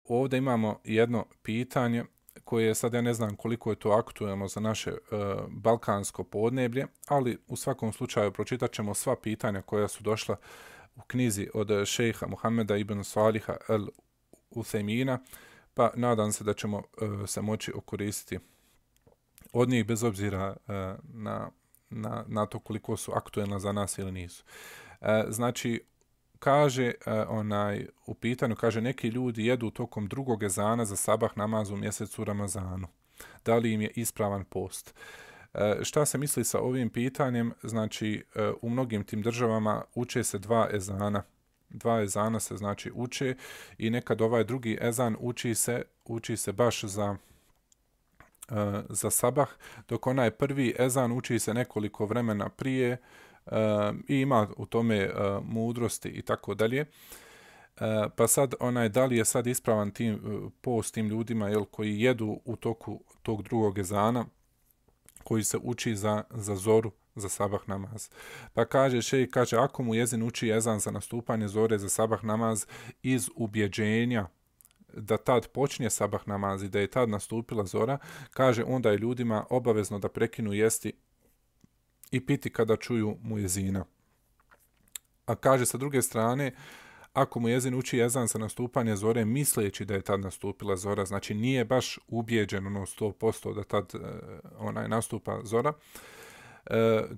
ovdje imamo jedno pitanje koje sad ja ne znam koliko je to aktuelno za naše balkansko podneblje, ali u svakom slučaju pročitat ćemo sva pitanja koja su došla u knjizi od šejha Muhameda ibn Saliha el Uthejmina, pa nadam se da ćemo se moći okoristiti od njih bez obzira na to koliko su aktuelna za nas ili nisu. Znači, kaže u pitanju, kaže neki ljudi jedu tokom drugog ezana za sabah namaz u mjesecu Ramazanu. Da li im je ispravan post? Šta se misli sa ovim pitanjem? Znači, u mnogim tim državama uče se dva ezana. Dva ezana se znači uče i nekad ovaj drugi ezan uči se baš za sabah, dok onaj prvi ezan uči se nekoliko vremena prije i ima u tome mudrosti i tako dalje. Pa sad da li je sad ispravan post tim ljudima koji jedu u toku tog drugog ezana koji se uči za zoru, za sabah namaz. Pa kaže ako mu jezin uči ezan za nastupanje zore za sabah namaz iz ubjeđenja da tad počne sabah namaz i da je tad nastupila zora, kaže onda je ljudima obavezno da prekinu jesti i piti kada čuju mujezina. A kaže sa druge strane, ako mujezin uči ezan za nastupanje zore misleći da je tad nastupila zora, znači nije baš ubijeđen 100% da tad nastupa zora,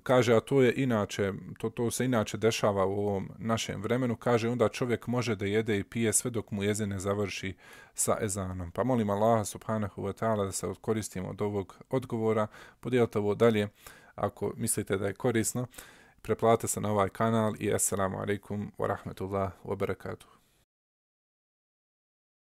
kaže, a to je inače, to se inače dešava u ovom našem vremenu, kaže onda čovjek može da jede i pije sve dok mu jezin ne završi sa ezanom. Pa molim Allaha subhanahu wa ta'ala da se koristimo od ovog odgovora, podijelite ovo dalje ako mislite da je korisno, preplatite se na ovaj kanal i assalamu alaikum wa rahmatullahi wa barakatuh.